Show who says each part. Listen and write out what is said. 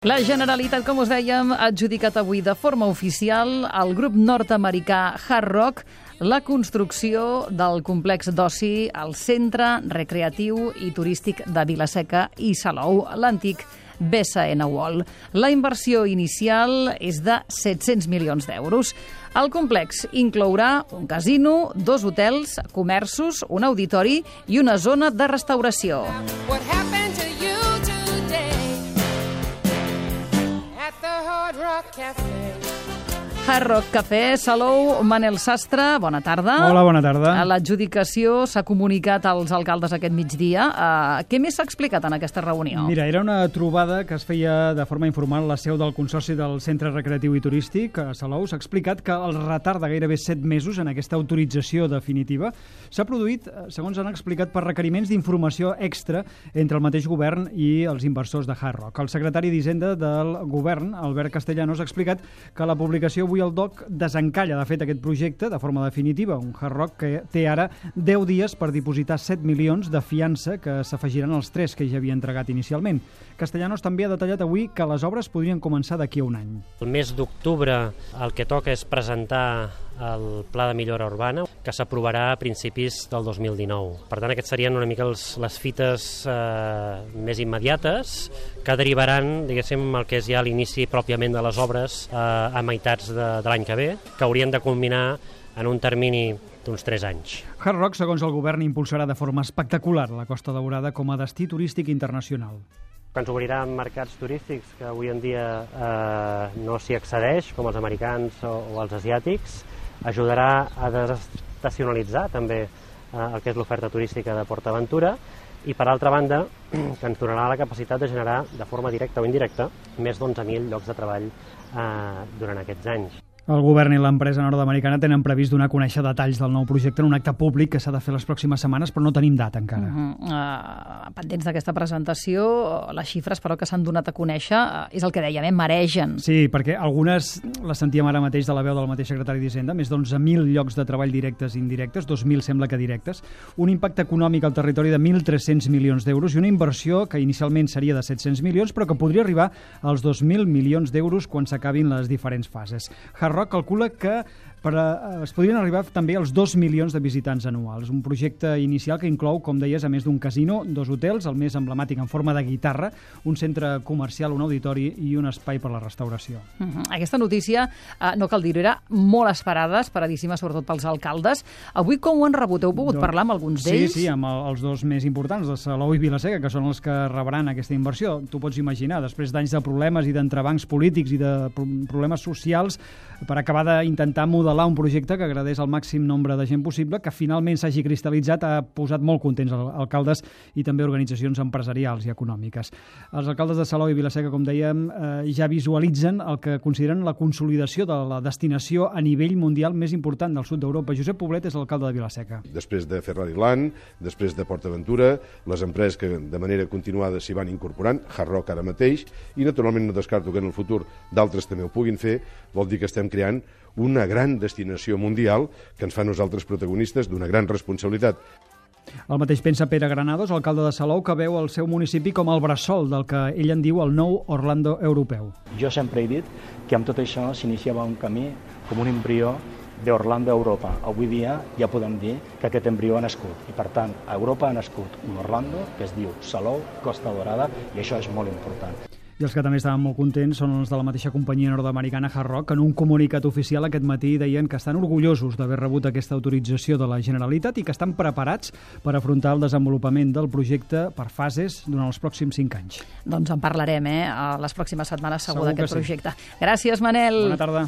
Speaker 1: La Generalitat, com us dèiem, ha adjudicat avui de forma oficial al grup nord-americà Hard Rock la construcció del complex d'oci al Centre Recreatiu i Turístic de Vila-seca i Salou, l'antic BSN World. La inversió inicial és de 700 milions d'euros. El complex inclourà un casino, 2 hotels, comerços, un auditori i una zona de restauració. Hard Rock Café, Salou, Manel Sastre, bona tarda.
Speaker 2: Hola, bona tarda.
Speaker 1: L'adjudicació s'ha comunicat als alcaldes aquest migdia. Què més s'ha explicat en aquesta reunió?
Speaker 2: Mira, era una trobada que es feia de forma informal a la seu del Consorci del Centre Recreatiu i Turístic a Salou. S'ha explicat que el retard de gairebé 7 mesos en aquesta autorització definitiva s'ha produït, segons han explicat, per requeriments d'informació extra entre el mateix govern i els inversors de Hard Rock. El secretari d'Hisenda del govern, Albert Castellanos, ha explicat que la publicació avui el DOC desencalla, de fet, aquest projecte de forma definitiva. Un Hard Rock que té ara 10 dies per dipositar 7 milions de fiança que s'afegiran als 3 que ja havia entregat inicialment. Castellanos també ha detallat avui que les obres podrien començar d'aquí a un any.
Speaker 3: El mes d'octubre el que toca és presentar el Pla de Millora Urbana, que s'aprovarà a principis del 2019. Per tant, aquests serien una mica les fites més immediates que derivaran, diguéssim, el que és ja l'inici pròpiament de les obres a meitats de l'any que ve, que haurien de culminar en un termini d'uns 3 anys.
Speaker 2: Hard Rock, segons el govern, impulsarà de forma espectacular la Costa Daurada com a destí turístic internacional.
Speaker 3: Que ens obrirà mercats turístics que avui en dia no s'hi accedeix, com els americans o els asiàtics, ajudarà a desestacionalitzar també el que és l'oferta turística de PortAventura i, per altra banda, que ens donarà la capacitat de generar, de forma directa o indirecta, més d'11.000 llocs de treball durant aquests anys.
Speaker 2: El govern i l'empresa nord-americana tenen previst donar a conèixer detalls del nou projecte en un acte públic que s'ha de fer les pròximes setmanes, però no tenim data encara.
Speaker 1: Pendents d'aquesta presentació, les xifres, però, que s'han donat a conèixer, és el que dèiem, maregen.
Speaker 2: Sí, perquè algunes les sentíem ara mateix de la veu del mateix secretari d'Hisenda, més d'11.000 llocs de treball directes i indirectes, 2.000 sembla que directes, un impacte econòmic al territori de 1.300 milions d'euros i una inversió que inicialment seria de 700 milions, però que podria arribar als 2.000 milions d'euros quan s'acabin les diferents fases. Hard Rock calcula que es podrien arribar també als 2 milions de visitants anuals. Un projecte inicial que inclou, com deies, a més d'un casino, 2 hotels, el més emblemàtic en forma de guitarra, un centre comercial, un auditori i un espai per la restauració.
Speaker 1: Aquesta notícia, no cal dir-ho, era molt esperada, esperadíssima, sobretot pels alcaldes. Avui com ho han rebut? Heu pogut parlar amb alguns d'ells?
Speaker 2: Sí, amb els dos més importants, de Salou i Vila-seca, que són els que rebran aquesta inversió. Tu pots imaginar, després d'anys de problemes i d'entrebancs polítics i de problemes socials, per acabar d'intentar modelar un projecte que agradés al màxim nombre de gent possible, que finalment s'hagi cristal·litzat, ha posat molt contents els alcaldes i també organitzacions empresarials i econòmiques. Els alcaldes de Salou i Vila-seca, com dèiem, ja visualitzen el que consideren la consolidació de la destinació a nivell mundial més important del sud d'Europa. Josep Poblet és l'alcalde de Vila-seca.
Speaker 4: Després de Ferrari-Land, després de PortAventura, les empreses que de manera continuada s'hi van incorporant, Hard Rock ara mateix, i naturalment no descarto que en el futur d'altres també ho puguin fer, vol dir que estem creant una gran destinació mundial que ens fa nosaltres protagonistes d'una gran responsabilitat.
Speaker 2: El mateix pensa Pere Granados, alcalde de Salou, que veu el seu municipi com el bressol del que ell en diu el nou Orlando europeu.
Speaker 5: Jo sempre he dit que amb tot això s'iniciava un camí com un embrió d'Orlando a Europa. Avui dia ja podem dir que aquest embrió ha nascut i, per tant, a Europa ha nascut un Orlando que es diu Salou, Costa Daurada, i això és molt important.
Speaker 2: I els que també estaven molt contents són els de la mateixa companyia nord-americana Hard Rock, que en un comunicat oficial aquest matí deien que estan orgullosos d'haver rebut aquesta autorització de la Generalitat i que estan preparats per afrontar el desenvolupament del projecte per fases durant els pròxims 5 anys.
Speaker 1: Doncs en parlarem, a les pròximes setmanes segur d'aquest projecte. Gràcies, Manel.
Speaker 2: Bona tarda.